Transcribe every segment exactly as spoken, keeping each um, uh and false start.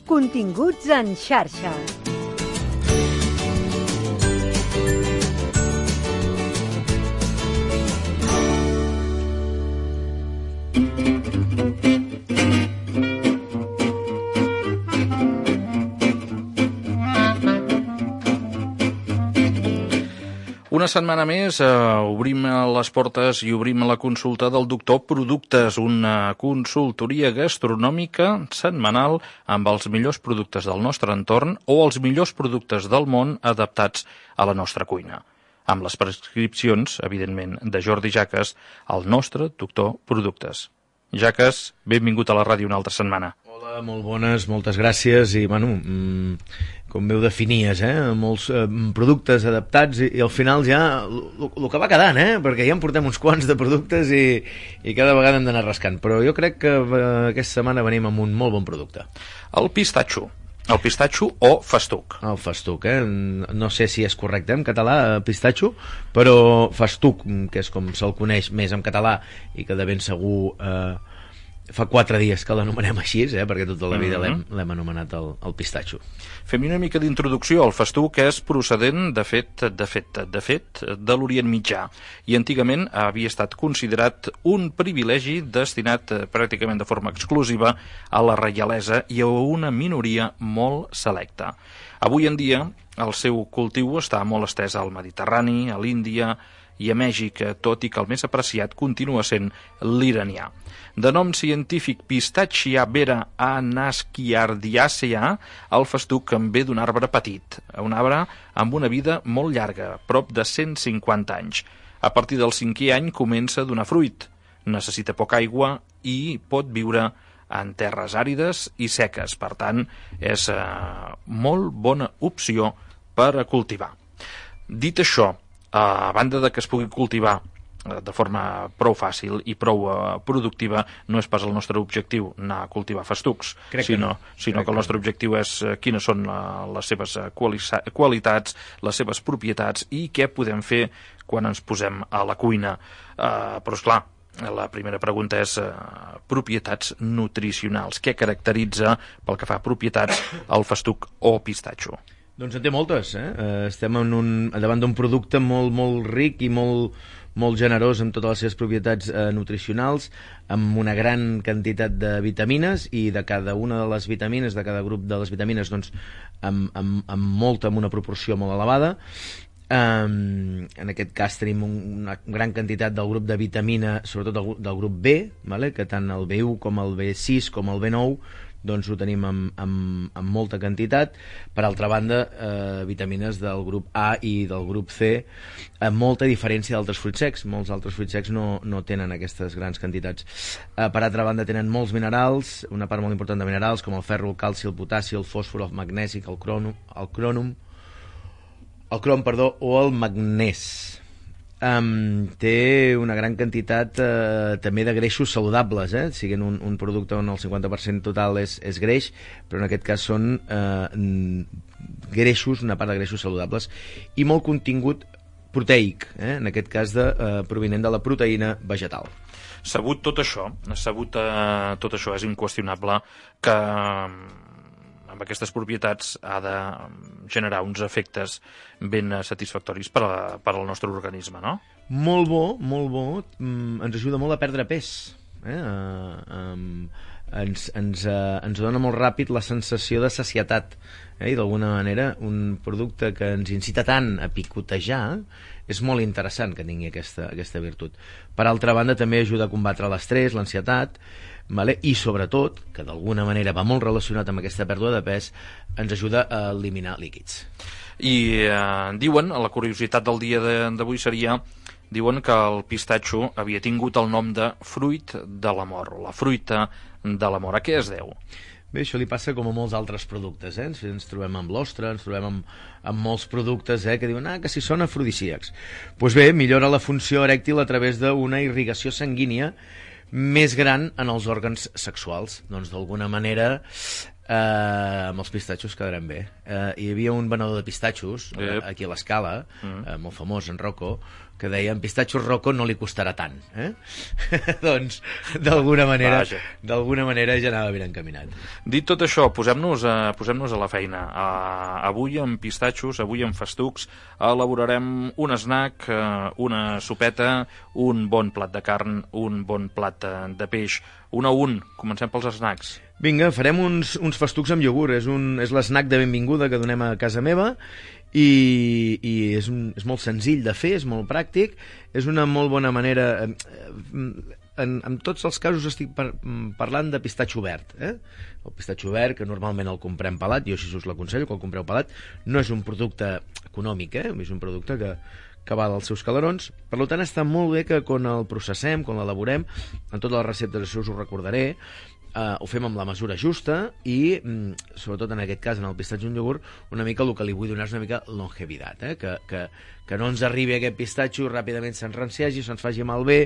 Continguts en xarxa. Una setmana més eh, obrim les portes i obrim la consulta del doctor Productes, una consultoria gastronòmica setmanal amb els millors productes del nostre entorn o els millors productes del món adaptats a la nostra cuina. Amb les prescripcions, evidentment, de Jordi Jaques, el nostre doctor Productes. Jaques, benvingut a la ràdio una altra setmana. Hola, molt bones, moltes gràcies i, bueno, mmm, com veu definies, eh? Molts eh, productes adaptats i, i al final ja el que va quedant, eh? Perquè ja en portem uns quants de productes i, i cada vegada hem d'anar rascant, però jo crec que eh, aquesta setmana venim amb un molt bon producte. El pistatxo. El pistatxo o festuc. El festuc, eh? No sé si és correcte en català, pistatxo, però festuc, que és com se'l coneix més en català i que de ben segur eh, fa quatre dies que l'anomenem així, eh? Perquè tota la vida mm-hmm. l'hem anomenat el, el pistatxo. Fem una mica d'introducció. El festuc és procedent, de fet, de fet, de fet, de l'Orient Mitjà i antigament havia estat considerat un privilegi destinat pràcticament de forma exclusiva a la reialesa i a una minoria molt selecta. Avui en dia el seu cultiu està molt estès al Mediterrani, a l'Índia i a Mèxic, tot i que el més apreciat continua sent l'iranià. De nom científic Pistachia vera anasciardiacea, el festuc en ve d'un arbre petit, un arbre amb una vida molt llarga, prop de cent cinquanta anys. A partir del cinquè any comença a donar fruit, necessita poca aigua i pot viure en terres àrides i seques, per tant, és eh, molt bona opció per a cultivar. Dit això, a banda de que es pugui cultivar de forma prou fàcil i prou uh, productiva, no és pas el nostre objectiu anar a cultivar festucs, Crec sinó, que, no. sinó que el nostre objectiu és uh, quines són uh, les seves uh, quali qualitats, les seves propietats i què podem fer quan ens posem a la cuina. Uh, però, esclar, la primera pregunta és uh, propietats nutricionals. Què caracteritza, pel que fa a propietats, el festuc o pistatxo? Doncs en té moltes, eh? Estem en un, davant d'un producte molt, molt ric i molt, molt generós amb totes les seves propietats eh, nutricionals, amb una gran quantitat de vitamines i de cada una de les vitamines, de cada grup de les vitamines, doncs, amb, amb, amb molta, amb una proporció molt elevada. Um, en aquest cas tenim un, una gran quantitat del grup de vitamina, sobretot del, del grup B, vale? Que tant el B u com el B sis com el B nou doncs ho tenim amb, amb, amb molta quantitat. Per altra banda, eh, vitamines del grup A i del grup C, amb molta diferència d'altres fruits secs. Molts altres fruits secs no, no tenen aquestes grans quantitats. Eh, per altra banda, tenen molts minerals, una part molt important de minerals, com el ferro, el calci, el potassi, el fòsfor, el magnesi, el cronum, el cronum, el crom, perdó, o el magnès. Um, té una gran quantitat uh, també de greixos saludables, eh? Siguin un, un producte on el cinquanta per cent total és, és greix, però en aquest cas són uh, greixos, una part de greixos saludables i molt contingut proteic, eh? En aquest cas de, uh, provinent de la proteïna vegetal. Sabut tot això, sabut uh, tot això, és inqüestionable que amb aquestes propietats ha de generar uns efectes ben satisfactoris per, a, per al nostre organisme, no? Molt bo, molt bo. Mm, ens ajuda molt a perdre pes. Eh? Uh, um, ens, ens, uh, ens dona molt ràpid la sensació de sacietat. Eh? I d'alguna manera un producte que ens incita tant a picotejar és molt interessant que tingui aquesta, aquesta virtut. Per altra banda, també ajuda a combatre l'estrès, l'ansietat, vale? I sobretot, que d'alguna manera va molt relacionat amb aquesta pèrdua de pes, ens ajuda a eliminar líquids. I eh, diuen, la curiositat del dia d'avui seria, diuen que el pistatxo havia tingut el nom de fruit de l'amor, o la fruita de l'amor. A què es deu? Bé, això li passa com a molts altres productes, eh? Ens, ens trobem amb l'ostra, ens trobem amb, amb molts productes eh? que diuen ah, que si són afrodisíacs. Doncs pues bé, millora la funció erèctil a través d'una irrigació sanguínia més gran en els òrgans sexuals. Doncs d'alguna manera eh, amb els pistatxos quedarem bé. Eh, hi havia un venedor de pistatxos yep. aquí a l'Escala, mm. eh, molt famós, en Rocco, que deien pistatxos Rocco no li costarà tant, eh? Doncs d'alguna manera Vaja. d'alguna manera ja anava ben encaminat. Dit tot això, posem-nos a, posem-nos a la feina. Uh, avui amb pistatxos, avui amb festucs, elaborarem un snack, uh, una sopeta, un bon plat de carn, un bon plat uh, de peix. Un a un, comencem pels snacks. Vinga, farem uns, uns festucs amb iogurt. És, un, és l'esnac de benvinguda que donem a casa meva i, i és, un, és molt senzill de fer, és molt pràctic, és una molt bona manera... En, en tots els casos estic par, parlant de pistatxo verd, eh? El pistatxo verd, que normalment el comprem pelat, jo així us l'aconsello, que el compreu pelat, no és un producte econòmic, eh? És un producte que, que val els seus calarons, per tant està molt bé que quan el processem, quan l'elaborem, en totes les receptes, això us ho recordaré, Uh, ho fem amb la mesura justa i, mm, sobretot en aquest cas, en el pistatxo en iogurt, una mica el que li vull donar és una mica longevitat, eh? que, que, que no ens arribi aquest pistatxo i ràpidament s'enranciagi, se'ns faci malbé,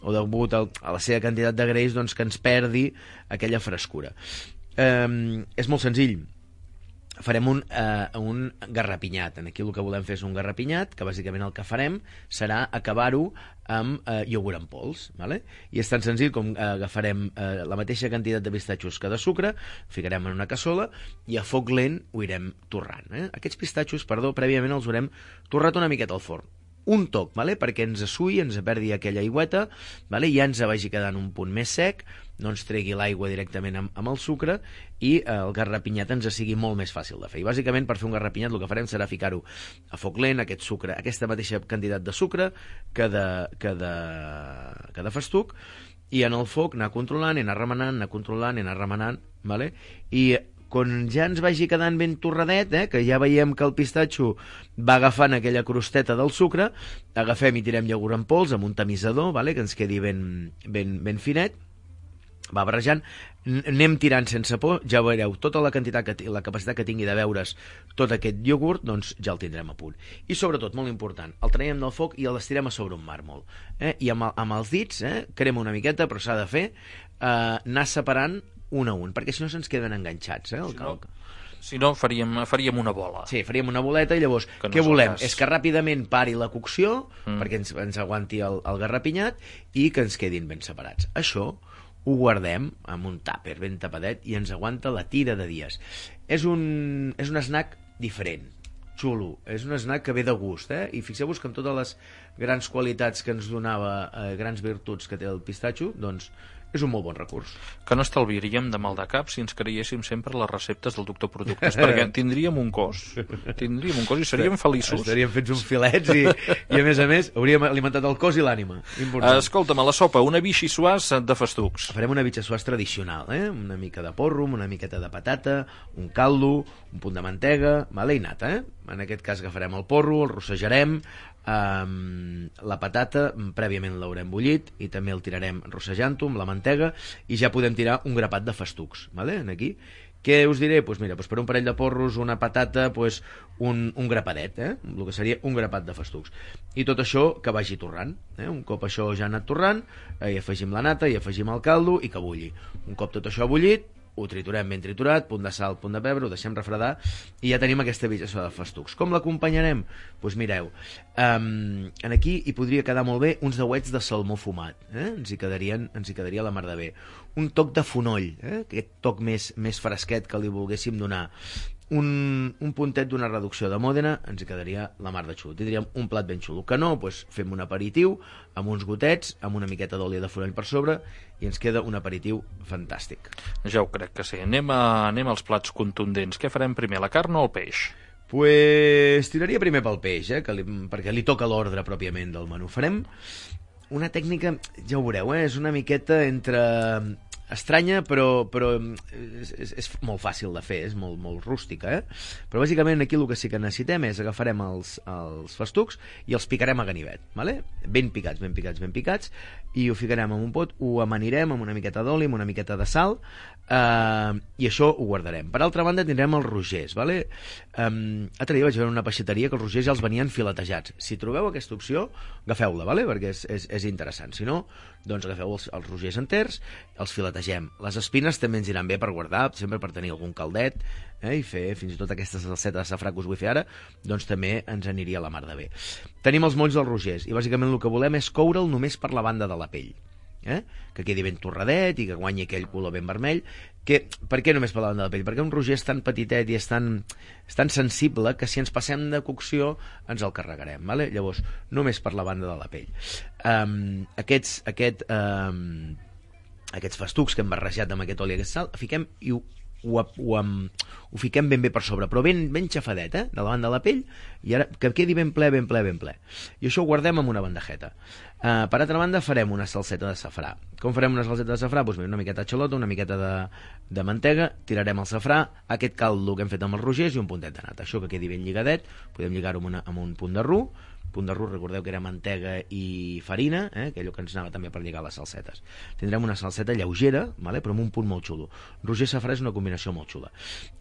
o degut a la seva quantitat de greix, doncs que ens perdi aquella frescura. Um, és molt senzill. Farem un, uh, un garrapinyat. Aquí el que volem fer és un garrapinyat, que bàsicament el que farem serà acabar-ho amb uh, iogurt en pols, vale? I és tan senzill com uh, agafarem uh, la mateixa quantitat de pistatxos que de sucre, ficarem en una cassola i a foc lent ho irem torrant. Eh? Aquests pistatxos, perdó, prèviament els haurem torrat una miqueta al forn. Un toc, vale? Perquè ens assui, ens perdi aquella aigüeta, vale? Ja ens vagi quedant un punt més sec, no ens tregui l'aigua directament amb, amb el sucre i eh, el garrapinyat ens sigui molt més fàcil de fer. I bàsicament per fer un garrapinyat el que farem serà ficar-ho a foc lent, aquest sucre, aquesta mateixa quantitat de sucre que de, que de, que de festuc, i en el foc anar controlant, anar remenant, anar controlant, anar remenant, vale? I quan ja ens vagi quedant ben torradet, eh, que ja veiem que el pistatxo va agafant aquella crosteta del sucre, agafem i tirem iogurt en pols amb un tamisador, vale, que ens quedi ben, ben, ben finet, va barrejant, anem tirant sense por, ja veureu tota la quantitat que, la capacitat que tingui de veure's tot aquest iogurt, doncs ja el tindrem a punt. I sobretot, molt important, el traiem del foc i el estirem a sobre un màrmol, eh? I amb, amb els dits, eh, crema una miqueta, però s'ha de fer eh, anar separant un a un, perquè si no se'ns queden enganxats, eh, el si no, calc. Si no faríem, faríem una bola. Sí, faríem una boleta i llavors no què volem? És, és que ràpidament pari la cocció mm. perquè ens, ens aguanti el, el garrapinyat i que ens quedin ben separats. Això ho guardem amb un tàper ben tapadet i ens aguanta la tira de dies. És un, és un snack diferent, xulo, és un snack que ve de gust, eh? I fixeu-vos que amb totes les grans qualitats que ens donava, eh, grans virtuts que té el pistatxo, doncs és un molt bon recurs. Que no estalviaríem de mal de cap si ens creiéssim sempre les receptes del doctor Productes, perquè tindríem un cos, tindríem un cos i seríem feliços. Estaríem fets uns filets i, i a més a més hauríem alimentat el cos i l'ànima. Escolta'm, a la sopa, una vichyssoise de festucs. Farem una vichyssoise tradicional, eh? Una mica de porro, una miqueta de patata, un caldo, un punt de mantega, vale, i nata, eh? En aquest cas agafarem el porro, el rossejarem, Um, la patata prèviament l'haurem bullit i també el tirarem rossejant-ho amb la mantega i ja podem tirar un grapat de festucs, vale? Aquí. Què us diré? Pues mira, pues per un parell de porros, una patata, pues un, un grapadet, eh? El que seria un grapat de festucs. I tot això que vagi torrant, eh? Un cop això ja ha anat torrant, eh, hi afegim la nata, hi afegim el caldo i que bulli. Un cop tot això ha bullit, ho triturem ben triturat, punt de sal, punt de pebre, ho deixem refredar i ja tenim aquesta vichyssoise de festucs. Com l'acompanyarem? Doncs pues mireu, um, en aquí hi podria quedar molt bé uns dauets de salmó fumat, eh? ens, hi quedarien, ens hi quedaria la mar de bé. Un toc de fonoll, eh? Aquest toc més, més fresquet que li volguéssim donar. Un, un puntet d'una reducció de Mòdena, ens hi quedaria la mar de xulo. Tindríem un plat ben xulo. Que no, doncs fem un aperitiu amb uns gotets, amb una miqueta d'oli de fonoll per sobre i ens queda un aperitiu fantàstic. Ja ho crec que sí. Anem, a, anem als plats contundents. Què farem primer, la carn o el peix? Pues tiraria primer pel peix, eh? que li, perquè li toca l'ordre pròpiament del menú. Farem una tècnica, ja ho veureu, eh? És una miqueta entre estranya, però, però és, és, és molt fàcil de fer, és molt, molt rústica, eh? Però bàsicament aquí el que sí que necessitem és agafarem els, els festucs i els picarem a ganivet, vale? Ben picats, ben picats, ben picats, i ho ficarem en un pot, ho amanirem amb una miqueta d'oli, amb una miqueta de sal, eh, i això ho guardarem. Per altra banda tindrem els rogers, vale? Um, l'altre dia vaig veure una peixateria que els rogers ja els venien filetejats. Si trobeu aquesta opció, agafeu-la, vale? Perquè és, és, és interessant. Si no, doncs agafeu els, els rogers enters, els filetejats netegem. Les espines també ens iran bé per guardar, sempre per tenir algun caldet, eh, i fer fins i tot aquesta salseta de safrà que us vull fer ara, doncs també ens aniria la mar de bé. Tenim els molls dels rogers, i bàsicament el que volem és coure'l només per la banda de la pell. Eh? Que quedi ben torradet i que guanyi aquell color ben vermell. Que, per què només per la banda de la pell? Perquè un roger és tan petitet i és tan, és tan sensible que si ens passem de cocció ens el carregarem, vale? Llavors, només per la banda de la pell. Um, aquests, aquest, um, aquests festucs que hem barrejat amb aquest oli i aquest sal, fiquem i ho Ho, ho, ho fiquem ben bé per sobre, però ben, ben xafadet, eh? De la banda de la pell, i ara que quedi ben ple, ben ple, ben ple. I això ho guardem en una bandejeta. Uh, per altra banda, farem una salseta de safrà. Com farem una salseta de safrà? Doncs una miqueta de xalota, una miqueta de, de mantega, tirarem el safrà, aquest caldo que hem fet amb els rogers i un puntet de nata. Això que quedi ben lligadet, podem lligar-ho amb, una, amb un punt de ru. Punt de ru, recordeu que era mantega i farina, eh? Que allò que ens anava també per lligar les salsetes. Tindrem una salseta lleugera, vale? Però amb un punt molt xulo. Roger safrà és una combinació molt xula.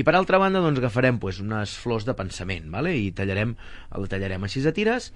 I per altra banda, doncs, agafarem pues, unes flors de pensament, vale? I tallarem, el tallarem així a tires.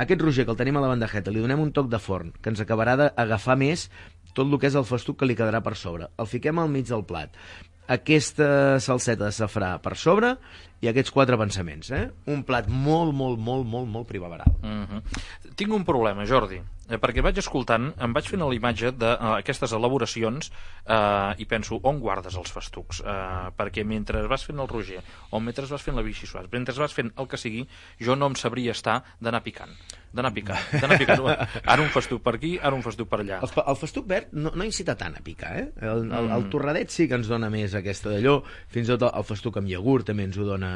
Aquest roger que el tenim a la bandejeta, li donem un toc de forn, que ens acabarà d'agafar més tot el que és el festuc que li quedarà per sobre. El fiquem al mig del plat. Aquesta salseta de safrà per sobre i aquests quatre pensaments, eh? Un plat molt, molt, molt, molt, molt primaveral. Mm-hmm. Tinc un problema, Jordi, eh, perquè vaig escoltant, em vaig fent la imatge d'aquestes uh, elaboracions uh, i penso, on guardes els festucs? Uh, perquè mentre vas fent el roger o mentre vas fent la vichyssoise, mentre vas fent el que sigui, jo no em sabria estar d'anar picant. D'anar picant, d'anar picant. Ara un festuc per aquí, ara un festuc per allà. El, el festuc verd no, no incita tant a picar, eh? El, el, el torradet sí que ens dona més aquesta d'allò, fins i tot el festuc amb iogurt també ens ho dona,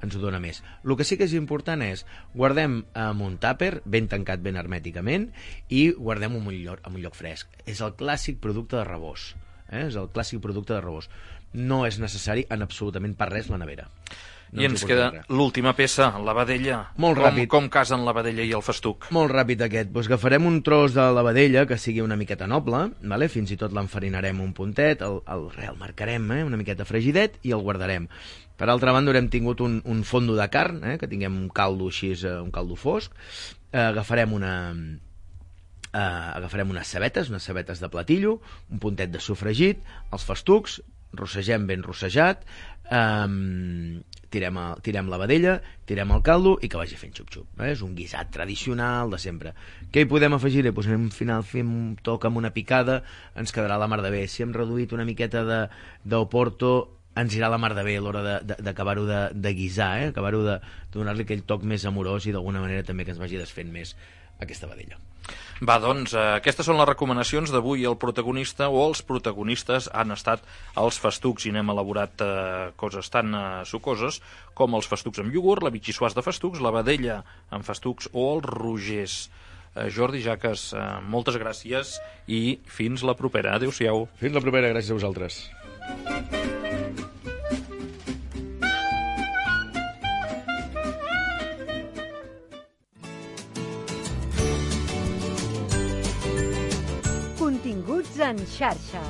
ens ho dona més. El que sí que és important és, guardem en un tàper, ben tancat, ben hermèticament, i guardem en un lloc, en un lloc fresc. És el clàssic producte de reboç, eh? És el clàssic producte de reboç. No és necessari en absolutament per res la nevera. No I ens queda l'última peça, la vedella. Molt com, ràpid. Com casen la vedella i el festuc? Molt ràpid aquest. Pues agafarem un tros de la vedella que sigui una miqueta noble, vale? Fins i tot l'enfarinarem un puntet, el, el, el marcarem eh? Una miqueta fregidet i el guardarem. Per altra banda haurem tingut un, un fondo de carn, eh? Que tinguem un caldo així, un caldo fosc. Eh, agafarem una... Uh, agafarem unes cebetes, unes cebetes de platillo, un puntet de sofregit, els festucs, rossegem ben rossejat, um, tirem, a, tirem la vedella, tirem el caldo i que vagi fent xup-xup. Eh? És un guisat tradicional de sempre. Què hi podem afegir? Pues al final fem un toc amb una picada, ens quedarà la mar de bé. Si hem reduït una miqueta d'oporto, ens irà la mar de bé a l'hora d'acabar-ho de, de, de guisar, eh? Acabar-ho de, de donar-li aquell toc més amorós i d'alguna manera també que ens vagi desfent més aquesta vedella. Va, doncs, eh, aquestes són les recomanacions d'avui. El protagonista o els protagonistes han estat els festucs i n'hem elaborat eh, coses tan eh, sucoses com els festucs amb iogurt, la vichyssoise de festucs, la vedella amb festucs o els rogers. Eh, Jordi Jaques, eh, moltes gràcies i fins la propera. Adéu-siau. Fins la propera, gràcies a vosaltres. Continguts en xarxa.